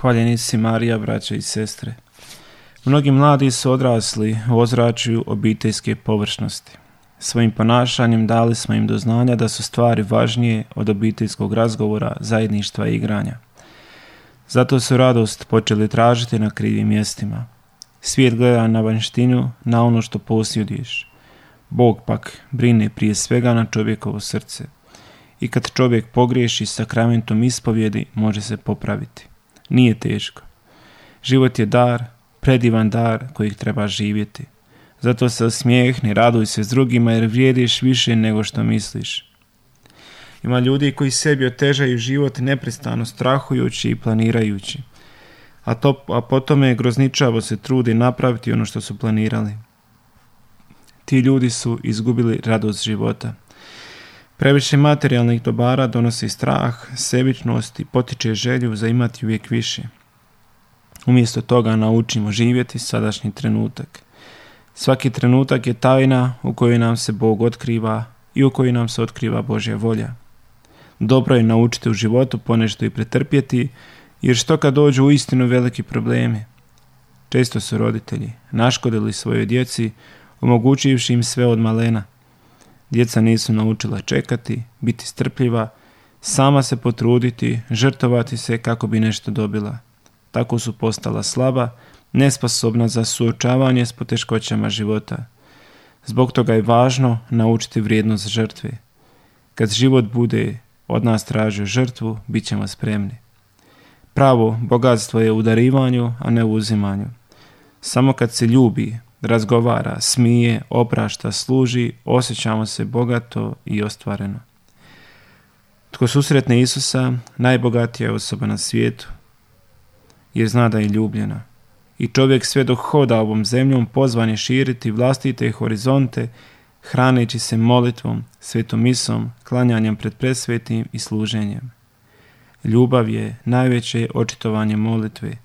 Hvaljeni si Marija, braće i sestre. Mnogi mladi su odrasli u ozračju obiteljske površnosti. Svojim ponašanjem dali smo im do znanja da su stvari važnije od obiteljskog razgovora, zajedništva i igranja. Zato su radost počeli tražiti na krivim mjestima. Svijet gleda na vanjštinu, na ono što posjeduješ. Bog pak brine prije svega na čovjekovo srce. I kad čovjek pogriješi, sakramentom ispovjedi može se popraviti. Nije teško. Život je dar, predivan dar kojeg treba živjeti. Zato se osmijehni, raduj se s drugima jer vrijediš više nego što misliš. Ima ljudi koji sebi otežaju život neprestano strahujući i planirajući, a potom grozničavo se trudi napraviti ono što su planirali. Ti ljudi su izgubili radost života. Previše materijalnih dobara donosi strah, sebičnost i potiče želju za imati uvijek više. Umjesto toga naučimo živjeti sadašnji trenutak. Svaki trenutak je tajna u kojoj nam se Bog otkriva i u kojoj nam se otkriva Božja volja. Dobro je naučiti u životu ponešto i pretrpjeti, jer što kad dođu uistinu veliki problemi. Često su roditelji naškodili svojoj djeci, omogućivši im sve od malena. Djeca nisu naučila čekati, biti strpljiva, sama se potruditi, žrtvovati se kako bi nešto dobila. Tako su postala slaba, nesposobna za suočavanje s poteškoćama života. Zbog toga je važno naučiti vrijednost žrtve. Kad život bude od nas tražio žrtvu, bit ćemo spremni. Pravo bogatstvo je u darivanju, a ne u uzimanju. Samo kad se ljubi, razgovara, smije, oprašta, služi, osjećamo se bogato i ostvareno. Tko susretne Isusa, najbogatija je osoba na svijetu, jer zna da je ljubljena. I čovjek sve dok hoda ovom zemljom pozvan je širiti vlastite horizonte, hraneći se molitvom, svetom misom, klanjanjem pred presvetim i služenjem. Ljubav je najveće očitovanje molitve,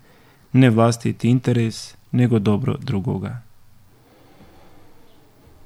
ne vlastiti interes, nego dobro drugoga.